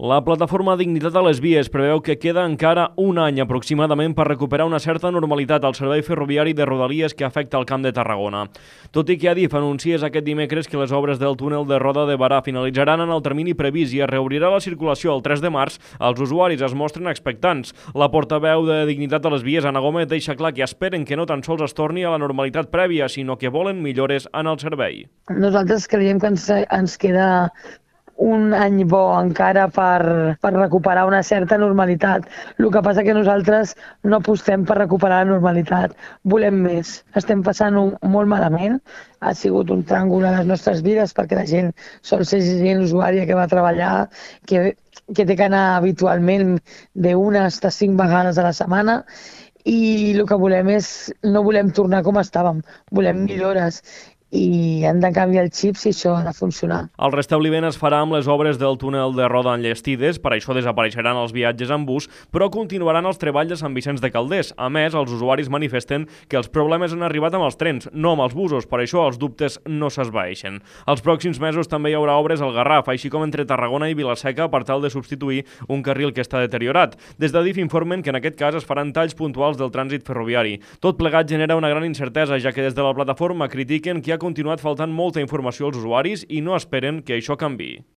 La plataforma Dignitat a les Vies preveu que queda encara un any aproximadament per recuperar una certa normalitat al servei ferroviari de Rodalies que afecta el Camp de Tarragona. Tot i que Adif anunciés aquest dimecres que les obres del túnel de Roda de Barà finalitzaran en el termini previst i es reobrirà la circulació el 3 de març, els usuaris es mostren expectants. La portaveu de Dignitat a les Vies, Anna Gómez, deixa clar que esperen que no tan sols es torni a la normalitat prèvia, sinó que volen millores en el servei. Nosaltres creiem que ens queda un any bo encara per recuperar una certa normalitat. El que passa que nosaltres no apostem per recuperar la normalitat. Volem més. Estem passant-ho molt malament. Ha sigut un tràngol a les nostres vides perquè la gent sol ser gent usuària que va treballar, que té que anar habitualment d'una hasta 5 vegades a la setmana i el que volem és, no volem tornar com estàvem, volem millores i han de canviar el xip si això ha de funcionar. El restabliment es farà amb les obres del túnel de Roda enllestides, per això desapareixeran els viatges en bus, però continuaran els treballs de Sant Vicenç de Calders. A més, els usuaris manifesten que els problemes han arribat amb els trens, no amb els busos, per això els dubtes no s'esvaeixen. Els pròxims mesos també hi haurà obres al Garraf, així com entre Tarragona i Vila-seca per tal de substituir un carril que està deteriorat. Des d'Adif informen que en aquest cas es faran talls puntuals del trànsit ferroviari. Tot plegat genera una gran incertesa, ja que des de la plataforma critiquen que ha continuat faltant molta informació als usuaris i no esperen que això canviï.